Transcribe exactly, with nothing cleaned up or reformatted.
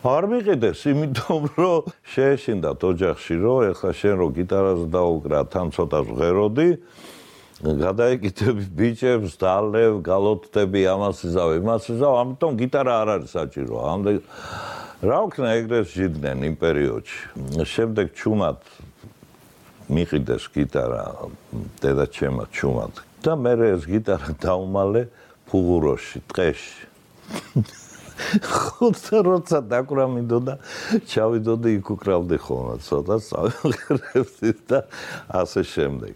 არ მიყიდეს, იმიტომ რომ შეეშინდათ ოჯახში, რომ ეხლა შენ რო გიტარაზე დაუკრა, თან ცოტა ჟღეროდი, გადაეკიდები ბიჭებს, დალევ, გალოთდები, ამას იზავ, იმას იზავ, ამიტომ გიტარა არ არის საჭირო. ამდენ რა ვქნა ეგრეს ჟიდნენ იმ პერიოდში. შემდეგ ჩუმად მიყიდეს გიტარა დედაჩემმა ჩუმად და მე ეს გიტარა დაუმალე ფუღუროში, ტყეში. ხუთა როცა დაკვრა მინდოდა, ჩავიდოდი იქ უკრავდი ხოლმე ცოტა, წავიღრებდი და ასე შემდეგ.